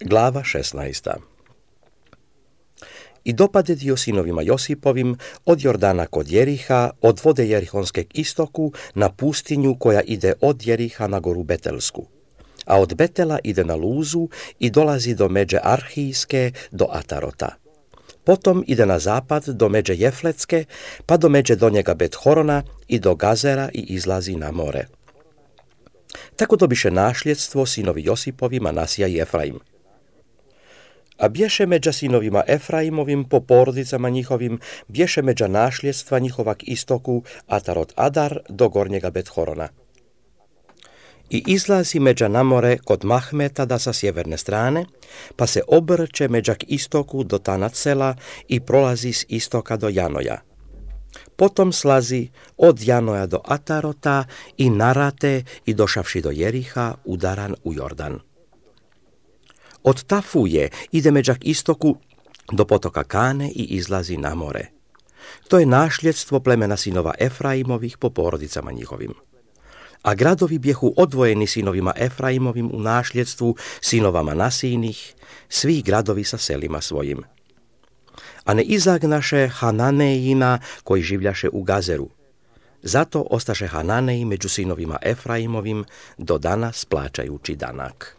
Glava 16. I dopadedio sinovima Josipovim od Jordana kod Jeriha, od vode Jerihonskeg istoku, na pustinju koja ide od Jeriha na goru Betelsku. A od Betela ide na Luzu i dolazi do međe Arhijske, do Atarota. Potom ide na zapad do međe Jefletske, pa do međe Donjega Bet-horona i do Gazera i izlazi na more. Tako dobiše našljedstvo sinovi Josipovi, Manasija i Efraim. A bješe međa sinovima Efraimovim po porodicama njihovim, bješe međa našljedstva njihova k istoku Atarot Adar do Gornjega Bet-horona. I izlazi međa na more kod Mahmetada sa sjeverne strane, pa se obrće međa k istoku do Tanatsela i prolazi s istoka do Janoja. Potom slazi od Janoja do Atarota i Narate i došavši do Jeriha udaran u Jordan. Od Tafuje ide međa k istoku do potoka Kane i izlazi na more. To je našljedstvo plemena sinova Efraimovih po porodicama njihovim. A gradovi bjehu odvojeni sinovima Efraimovim u našljedstvu sinova Manasijinih, svi gradovi sa selima svojim. A ne izagnaše Hananejina koji življaše u Gazeru. Zato ostaše Hananeji među sinovima Efraimovim do danas plaćajući danak.